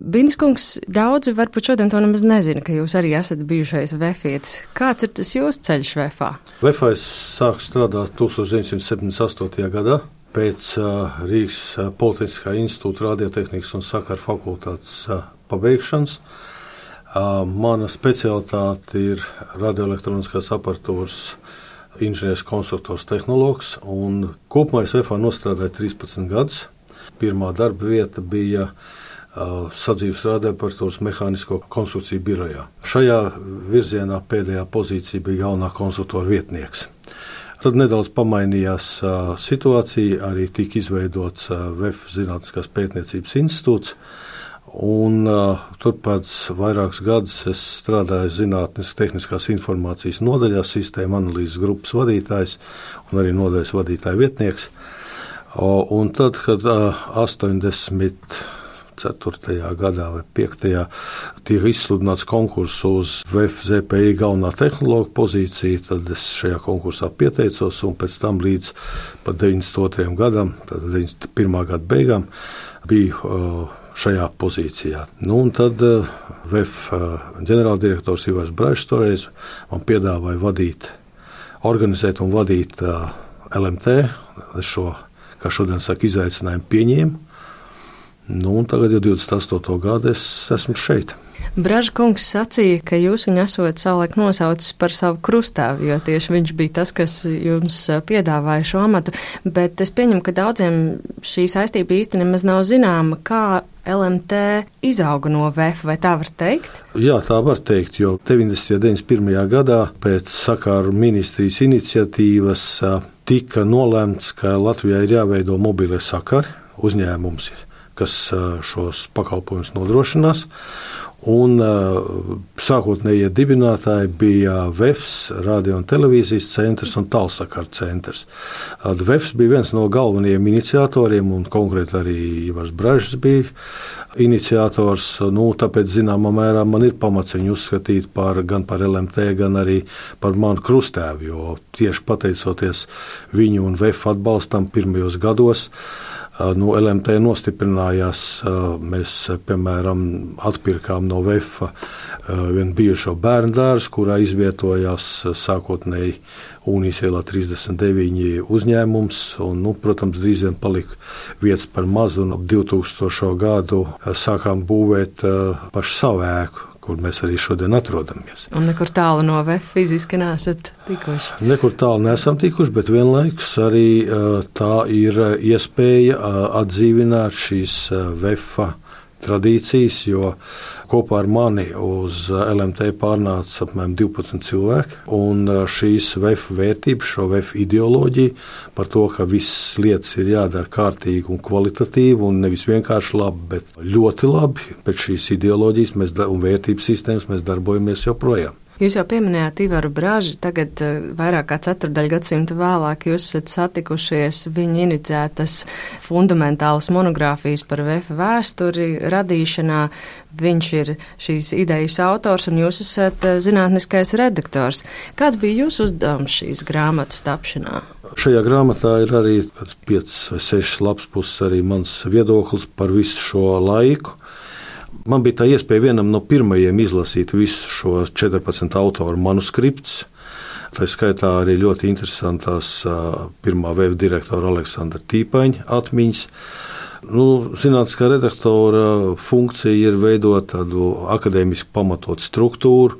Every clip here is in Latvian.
Binskungs, daudzi varbūt šodien to nemaz nezina, ka jūs arī esat bijušais vefietis. Kāds ir tas jūsu ceļš vefā? Vefā es sāku strādāt 1978. gadā pēc Rīgas Politehniskā institūta radiotehnikas un sakaru fakultātes pabeigšanas. Mana specialitāte ir radioelektroniskās aparatūras inženieris, konstruktors, tehnologs, un kopumā es vefā nostrādāju 13 gadus. Pirmā darba vieta bija sadzīves radioaparatūras mehānisko konstrukciju birojā. Šajā virzienā pēdējā pozīcija bija galvenā konstruktora vietnieks. Tad nedaudz pamainījās situācija, arī tika izveidots VEF Zinātniskās pētniecības institūts, un turpēc vairākus gadus es strādāju Zinātnes tehniskās informācijas nodaļā, sistēma analīzes grupas vadītājs un arī nodaļas vadītāja vietnieks. Un tad, kad 4. gadā vai 5. tika izsludināts konkurss uz VEF ZPI galvenā tehnologa pozīciju, tad es šajā konkursā pieteicos, un pēc tam līdz pat 92. gadam, tad 91. gada beigām, biju šajā pozīcijā. Un tad VEF ģenerāldirektors Ivars Braišs toreiz man piedāvāja organizēt un vadīt LMT. Es šo, kā šodien saka, izaicinājumu pieņēmu. Un tagad jau 28. gadu es esmu šeit. Braža kungs sacīja, ka jūs viņu esot savulaik nosaucis par savu krustāvu, jo tieši viņš bija tas, kas jums piedāvāja šo amatu, bet es pieņemu, ka daudziem šī saistība īsti nemaz nav zināma, kā LMT izauga no VEF, vai tā var teikt? Jā, tā var teikt, jo 90. un 91. gadā pēc sakaru ministrijas iniciatīvas tika nolēmts, ka Latvijā ir jāveido mobilie sakari uzņēmums, kas šos pakalpojumus nodrošinās. Un sākotnējie dibinātāji bija VEFs, radio un televīzijas centrs un tālsakaru centrs. VEFs bija viens no galvenajiem iniciatoriem, un konkrēti arī Ivars Braišs bija iniciators. Tāpēc, zināmā mērā, man ir pamats viņu uzskatīt gan par LMT, gan arī par manu krustēvu, jo tieši pateicoties viņu un VEF atbalstam pirmajos gados, LMT nostiprinājās. Mēs, piemēram, atpirkām no VEF vienu bijušo bērnu dārzu, kurā izvietojās sākotnēji Unijas ielā 39 uzņēmums, un, protams, drīz vien palika vietas par mazu, un ap 2000. gadu sākām būvēt pašu savu ēku, kur mēs arī šodien atrodamies. Un nekur tālu no VEF fiziski neesat tikuši? Nekur tālu neesam tikuši, bet vienlaikus arī tā ir iespēja atdzīvināt šīs VEF tradīcijas, jo kopā ar mani uz LMT pārnāca apmēram 12 cilvēki, un šīs VEF vērtības, šo VEF ideoloģiju par to, ka visas lietas ir jādara kārtīgi un kvalitatīvi, un nevis vienkārši labi, bet ļoti labi. Pēc šīs ideoloģijas un vērtības sistēmas mēs darbojamies joprojām. Jūs jau pieminējāt Ivaru Bražu, tagad vairāk kā 4. gadsimta vēlāk jūs esat satikušies viņa iniciētas fundamentālas monogrāfijas par VEF vēsturi radīšanā. Viņš ir šīs idejas autors un jūs esat zinātniskais redaktors. Kāds bija jūsu uzdevums šīs grāmatas tapšanā? Šajā grāmatā ir arī 5 vai 6 lapspuses arī mans viedoklis par visu šo laiku. Man bija tā iespēja vienam no pirmajiem izlasīt visus šos 14 autoru manuskriptus. Tā skaitā arī ļoti interesantās pirmā VEF direktora Aleksandra Tīpaņa atmiņas. Zinātniskā redaktora funkcija ir veidot tādu akadēmiski pamatotu struktūru,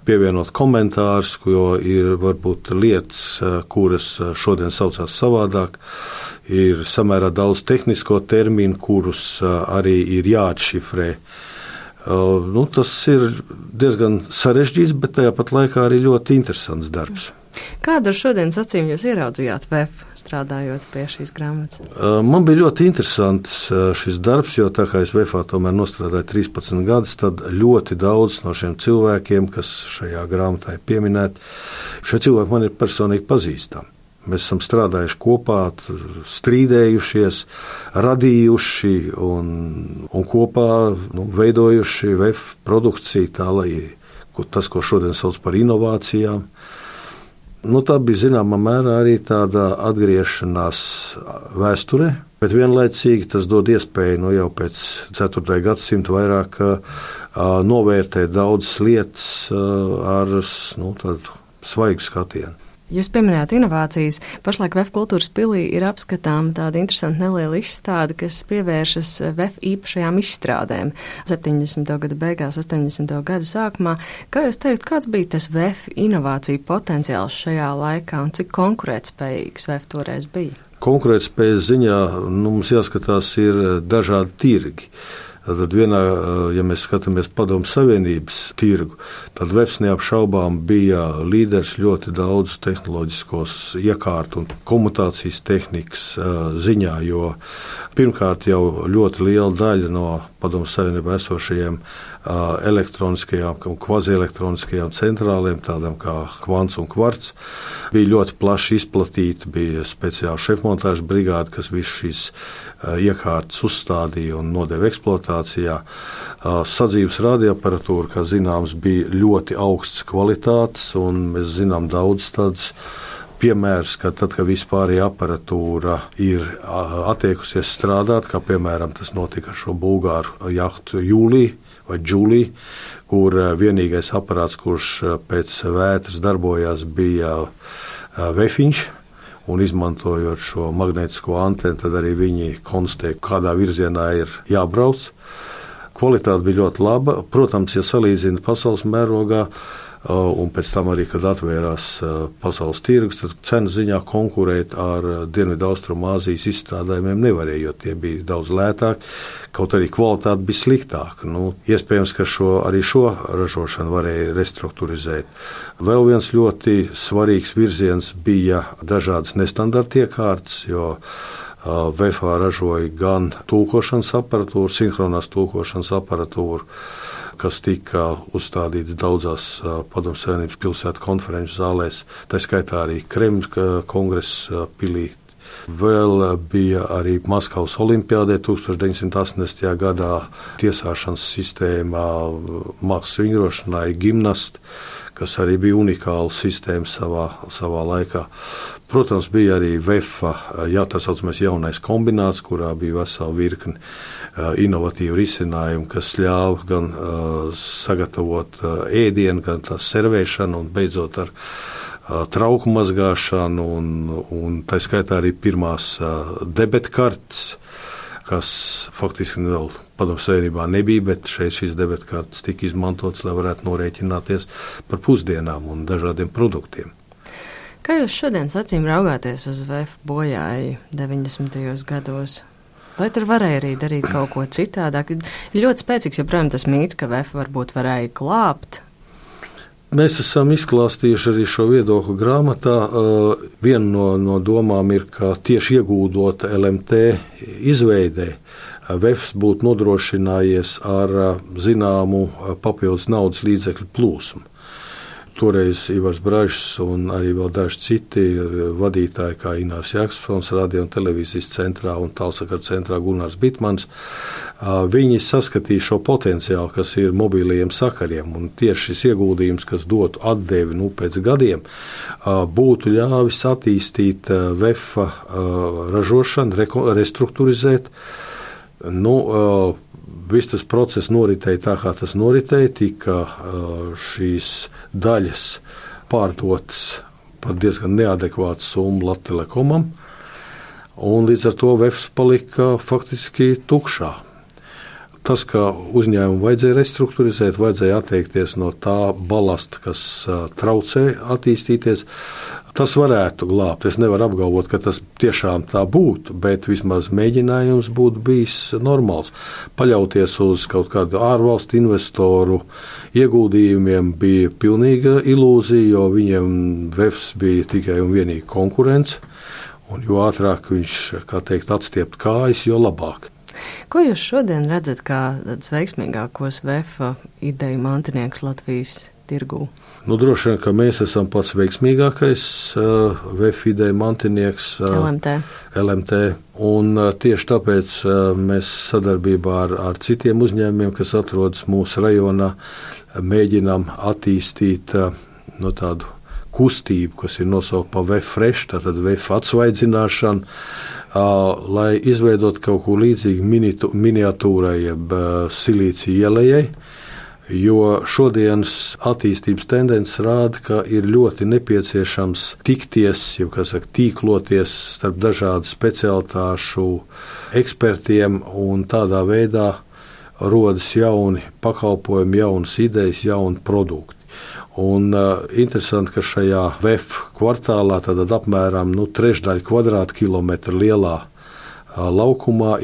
pievienot komentārus, jo ir varbūt lietas, kuras šodien saucās savādāk. Ir samērā daudz tehnisko terminu, kurus arī ir jāatšifrē. Tas ir diezgan sarežģīts, bet tajā pat laikā arī ļoti interesants darbs. Kādu ar šodienas acīm jūs ieraudzījāt VEF, strādājot pie šīs grāmatas? Man bija ļoti interesants šis darbs, jo tā kā es VEFā tomēr nostrādāju 13 gadus, tad ļoti daudz no šiem cilvēkiem, kas šajā grāmatā ir pieminēti, šie cilvēki man ir personīgi pazīstami. Mēs esam strādājuši kopā, strīdējušies, radījuši un kopā veidojuši VEF produkciju tā, lai tas, ko šodien sauc par inovācijām. Tā bija zināmā mērā arī tāda atgriešanās vēsturē, Bet vienlaicīgi tas dod iespēju jau pēc 4. gadsimta vairāk novērtēt daudzas lietas ar tādu svaigu skatienu. Jūs pieminējāt inovācijas. Pašlaik VF kultūras pilī ir apskatām tāda interesanta neliela izstāde, kas pievēršas VF īpašajām izstrādēm 70. gada beigās, 80. gada sākumā. Kā jūs teikt, kāds bija tas VF inovāciju potenciāls šajā laikā un cik konkurētspējīgs VF toreiz bija? Konkurētspējas ziņā mums jāskatās ir dažādi tirgi. Tad vienā, ja mēs skatāmies Padomju Savienības tirgu, tad VF neapšaubām bija līderis ļoti daudz tehnoloģiskos iekārtu un komutācijas tehnikas ziņā, jo pirmkārt jau ļoti liela daļa no Padomju Savienībā esošajiem elektroniskajām un kvazielektroniskajām centrālēm, tādām kā kvants un kvarts, bija ļoti plaši izplatīta, bija speciāla šefmontāžas brigāde, kas visu šīs iekārtas uzstādīja un nodeva eksploatācijā. Sadzīves radioaparatūra, kā zināms, bija ļoti augsts kvalitātes, un mēs zinām daudz tādas piemērs, ka tad, kad vispārējā aparatūra ir attiekusies strādāt, kā piemēram tas notika ar šo bulgāru jahtu Jūlija vai Džulija, kur vienīgais aparāts, kurš pēc vētras darbojās, bija vefiņš, un izmantojot šo magnētisko antenu, tad arī viņi konstatēja, kādā virzienā ir jābrauc. Kvalitāte bija ļoti laba. Protams, ja salīdzina pasaules mērogā, un pēc tam arī, kad atvērās pasaules tirgus, tad cenu ziņā konkurēt ar Dienvidu-Austrumāzijas izstrādājumiem nevarēja, jo tie bija daudz lētāki, kaut arī kvalitāte bija sliktāka. Iespējams, ka arī šo ražošanu varēja restruktūrizēt. Vēl viens ļoti svarīgs virziens bija dažādas nestandarta iekārtas, jo VFA ražoja gan tulkošanas aparatūru, sinhronās tulkošanas aparatūru, kas tika uzstādīts daudzās Padomju Savienības pilsētu konferenču zālēs, tā skaitā arī Kremļa kongresa pilī. Vēl bija arī Maskavas olimpiādē 1980. gadā tiesāšanas sistēmā mākslas vingrošanai gimnasti, kas arī bija unikāla sistēma savā laikā. Protams, bija arī VEFA, tā saucamais jaunais kombināts, kurā bija vesela virkne inovatīvu risinājumu, kas ļāva gan sagatavot ēdienu, gan tā servēšanu un beidzot ar trauku mazgāšanu un tā skaitā arī pirmās debetkartes, kas faktiski vēl Padomju Savienībā nebija, bet šeit šīs debetkartes tika izmantotas, lai varētu norēķināties par pusdienām un dažādiem produktiem. Kā jūs šodien acīm raugāties uz VF bojāju 90. gados? Vai tur varēja arī darīt kaut ko citādāk? Ir ļoti spēcīgs joprojām tas mīts, ka VF varbūt varēja glābt. Mēs esam izklāstījuši arī šo viedokļu grāmatā. Viena no domām ir, ka tieši ieguldot LMT izveidē, VEFs būtu nodrošinājies ar zināmu papildus naudas līdzekļu plūsmu. Toreiz Ivars Bražs un arī vēl daži citi vadītāji, kā Inārs Jākspons, radio un televīzijas centrā un tālsakaru centrā Gunārs Bitmans, viņi saskatīja šo potenciālu, kas ir mobilajiem sakariem, un tieši šis ieguldījums, kas dotu atdevi pēc gadiem, būtu ļāvis attīstīt VEFa ražošanu, restruktūrizēt. Viss tas process noritēja tā, kā tas noritēja, tika šīs daļas pārdotas par diezgan neadekvātu summu Latvtelekomam, un līdz ar to VEFs palika faktiski tukšā. Tas, ka uzņēmumu vajadzēja restruktūrizēt, vajadzēja atteikties no tā balasta, kas traucē attīstīties, tas varētu glābt. Es nevaru apgalvot, ka tas tiešām tā būtu, bet vismaz mēģinājums būtu bijis normāls. Paļauties uz kaut kādu ārvalstu investoru ieguldījumiem bija pilnīga ilūzija, jo viņiem VEFs bija tikai un vienīgi konkurence, un jo ātrāk viņš, atstiept kājas, jo labāk. Ko jūs šodien redzat kā tāds veiksmīgākos VEFa ideju mantinieks Latvijas tirgū? Droši vien, ka mēs esam pats veiksmīgākais VEFa ideju mantinieks LMT. Un tieši tāpēc mēs sadarbībā ar citiem uzņēmumiem, kas atrodas mūsu rajonā, mēģinām attīstīt tādu kustību, kas ir nosaukta par VEF Fresh, tātad VEF atsvaidzināšana, lai izveidot kaut ko līdzīgu miniatūrai jeb silīcija ielejai, jo šodienas attīstības tendences rāda, ka ir ļoti nepieciešams tikties, tīkloties starp dažādu specialitāšu ekspertiem, un tādā veidā rodas jauni pakalpojumi, jaunas idejas, jauni produkti. Un interesanti, ka šajā VEF kvartālā tad apmēram trešdaļa kvadrātkilometra lielā laukumā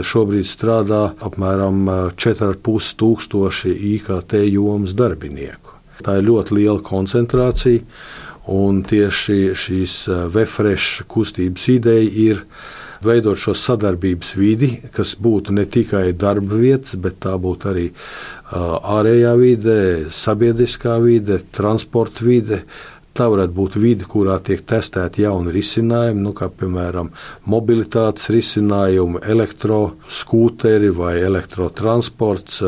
šobrīd strādā apmēram 4,5 tūkstoši IKT jomas darbinieku. Tā ir ļoti liela koncentrācija, un tieši šīs VEFresh kustības ideja ir veidot šo sadarbības vidi, kas būtu ne tikai darba vietas, bet tā būtu arī ārējā vide, sabiedriskā vide, transporta vide. Tā varētu būt vide, kurā tiek testēti jauni risinājumi, kā piemēram mobilitātes risinājumi, elektroskūteri vai elektrotransports,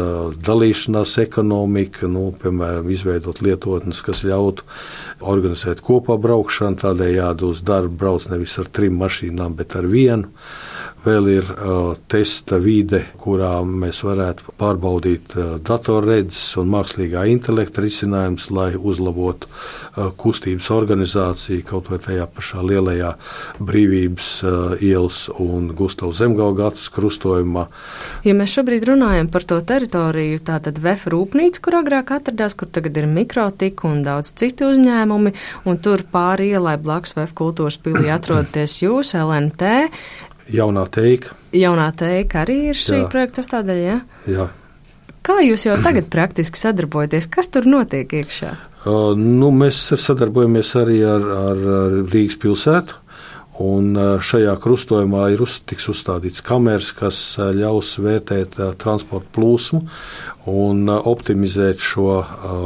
dalīšanās ekonomika, piemēram, izveidot lietotnes, kas ļautu organizēt kopā braukšanu, tādējādi uz darbu brauc nevis ar 3 mašīnām, bet ar 1. Vēl ir testa vide, kurā mēs varētu pārbaudīt datorredzes un mākslīgā intelekta risinājumus, lai uzlabotu kustības organizāciju kaut vai tajā pašā lielajā Brīvības ielas un Gustavs Zemgaugatas krustojumā. Ja mēs šobrīd runājam par to teritoriju, tātad VEF rūpnīca, kur agrāk atradās, kur tagad ir Mikrotika un daudz citu uzņēmumi, un tur pāri ielai blakus VEF kultūras pilī atrodaties jūs, LNT. Jaunā teika. Jaunā teika arī ir šī projekta sastāvdaļa, ja? Jā. Kā jūs jau tagad praktiski sadarbojaties? Kas tur notiek iekšā? Mēs sadarbojamies arī ar Rīgas pilsētu, un šajā krustojumā tiks uzstādīts kameras, kas ļaus vērtēt transporta plūsmu un optimizēt šo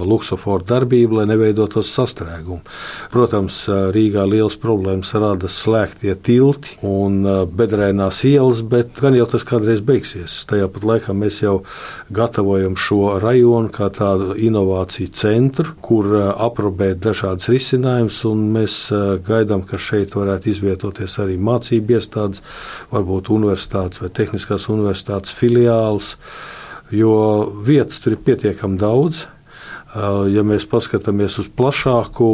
luksoforu darbību, lai neveidotos sastrēgumu. Protams, Rīgā liels problēmas rada slēgtie tilti un bedrēnās ielas, bet gan jau tas kādreiz beigsies. Tajā pat laikā mēs jau gatavojam šo rajonu kā tādu inovāciju centru, kur aprobēt dažādas risinājumus, un mēs gaidām, ka šeit varētu izvietoties arī mācību iestādes, varbūt universitātes vai tehniskās universitātes filiāls, jo vietas tur ir pietiekami daudz. Ja mēs paskatāmies uz plašāku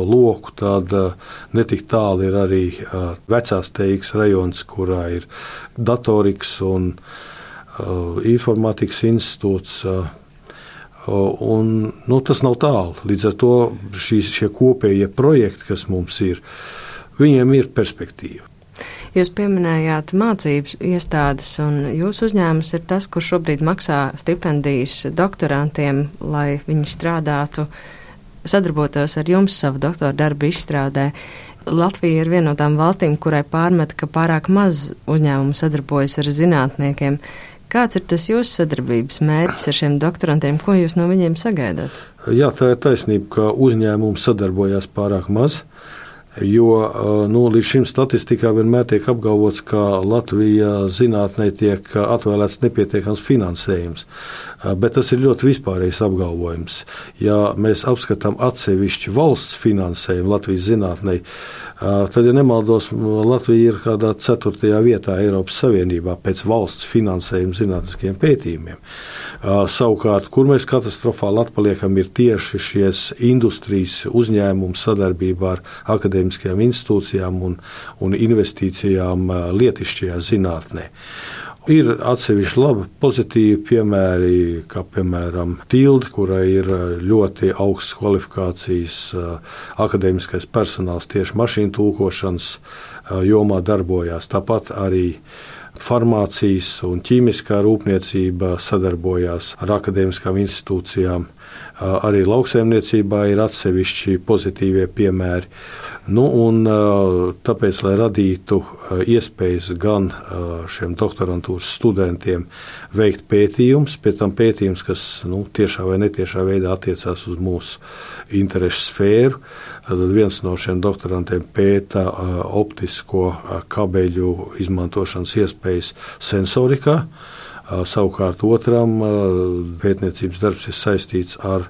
loku, tad netik tālu ir arī vecās teikas rajons, kurā ir datorikas un informātikas institūts. Tas nav tālu. Līdz ar to šie kopējie projekti, kas mums ir, viņiem ir perspektīva. Jūs pieminējāt mācības iestādes, un jūsu uzņēmums ir tas, kurš šobrīd maksā stipendijas doktorantiem, lai viņi strādātu, sadarbotos ar jums savu doktora darbu izstrādē. Latvija ir viena no tām valstīm, kurai pārmet, ka pārāk maz uzņēmumu sadarbojas ar zinātniekiem. Kāds ir tas jūsu sadarbības mērķis ar šiem doktorantiem? Ko jūs no viņiem sagaidāt? Jā, tā ir taisnība, ka uzņēmumi sadarbojās pārāk maz. Jo līdz šim statistikā vienmēr tiek apgalvots, ka Latvijā zinātnē tiek atvēlēts nepietiekams finansējums, bet tas ir ļoti vispārējs apgalvojums. Ja mēs apskatām atsevišķi valsts finansējumu Latvijas zinātnē, tad, ja nemaldos, Latvija ir kādā 4. vietā Eiropas Savienībā pēc valsts finansējuma zinātniskiem pētījumiem. Savukārt, kur mēs katastrofāli atpaliekam, ir tieši šies industrijas uzņēmumu sadarbībā ar akadēmiskajām institūcijām un investīcijām lietišķajā zinātnē. Ir atsevišķi labi pozitīvi piemēri, kā piemēram Tilde, kurai ir ļoti augsts kvalifikācijas akadēmiskais personāls tieši mašīnu tulkošanas jomā darbojās. Tāpat arī farmācijas un ķīmiskā rūpniecība sadarbojās ar akadēmiskām institūcijām. Arī lauksaimniecībā ir atsevišķi pozitīvie piemēri. Tāpēc, lai radītu iespējas gan šiem doktorantūras studentiem veikt pētījumus, pēc tam pētījums, kas tiešā vai netiešā veidā attiecās uz mūsu interešu sfēru, tad viens no šiem doktorantiem pēta optisko kabeļu izmantošanas iespējas sensorikā. Savukārt otram pētniecības darbs ir saistīts ar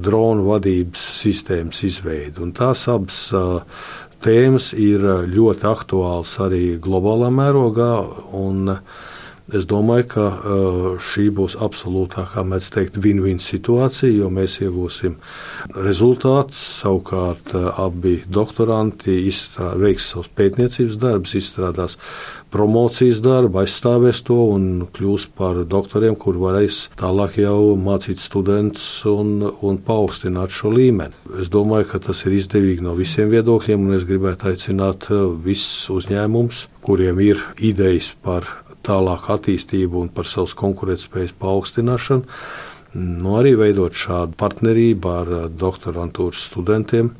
dronu vadības sistēmas izveidi. Un tās abas tēmas ir ļoti aktuāls arī globālā mērogā, un es domāju, ka šī būs absolūtā, kā mēs teikt, win-win situācija, jo mēs iegūsim rezultātus. Savukārt abi doktoranti veiks savus pētniecības darbus, izstrādās promocijas darbu, aizstāvēs to un kļūs par doktoriem, kur varēs tālāk jau mācīt studentus un paaugstināt šo līmeni. Es domāju, ka tas ir izdevīgi no visiem viedokļiem, un es gribētu aicināt visus uzņēmumus, kuriem ir idejas par tālāku attīstību un par savas konkurētspējas paaugstināšanu, arī veidot šādu partnerību ar doktorantūras studentiem,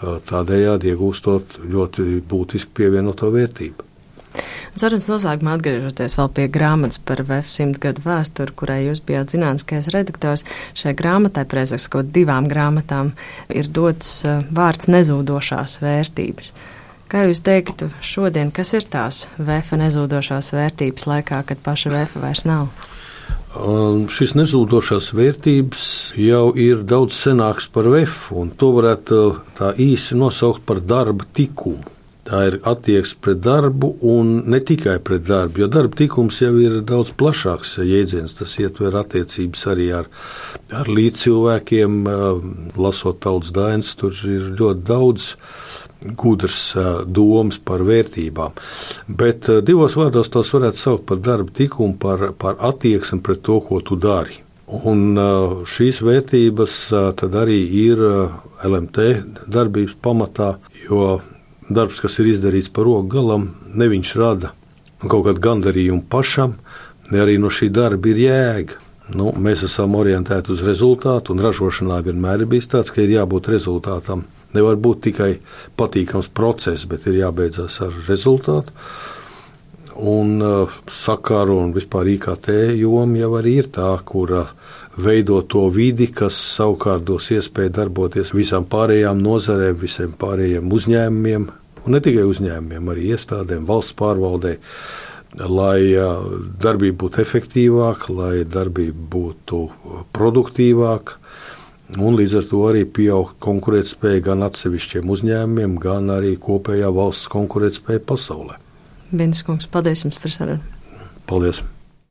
tādējādi iegūstot ļoti būtisku pievienoto vērtību. Sarunas noslēgumā atgriežoties vēl pie grāmatas par VF 100 gadu vēsturi, kurai jūs bijāt zinātniskais redaktors, šai grāmatai, precīzāk 2 grāmatām, ir dots vārds nezūdošās vērtības. Kā jūs teiktu šodien, kas ir tās VF nezūdošās vērtības laikā, kad paša VF vairs nav? Šis nezūdošās vērtības jau ir daudz senāks par VF, un to varētu tā īsi nosaukt par darba tikumu. Tā ir attieksme pret darbu un ne tikai pret darbu, jo darba tikums jau ir daudz plašāks jēdziens. Tas ietver attiecības arī ar līdzcilvēkiem, lasot tautas dainas, tur ir ļoti daudz gudrs domas par vērtībām. Bet 2 vārdos tos varētu saukt par darba tikumu, par attieksmi pret to, ko tu dari. Un šīs vērtības tad arī ir LMT darbības pamatā, jo darbs, kas ir izdarīts par roku galam, ne viņš rada kaut kādu gandarījumu pašam, ne arī no šī darba ir jēga. Mēs esam orientēti uz rezultātu, un ražošanā vienmēr ir bijis tāds, ka ir jābūt rezultātam. Nevar būt tikai patīkams process, bet ir jābeidzas ar rezultātu. Un sakaru un vispār IKT joma jau arī ir tā, kura veido to vidi, kas savukārt dos iespēju darboties visām pārējām nozarēm, visiem pārējiem uzņēmumiem, un ne tikai uzņēmumiem, arī iestādēm, valsts pārvaldē, lai darbība būtu efektīvāka, lai darbība būtu produktīvāka. Un līdz ar to arī pieaug konkurētspēja gan atsevišķiem uzņēmumiem, gan arī kopējā valsts konkurētspēja pasaulē. Bindis kungs, paldies jums par sarunu. Paldies.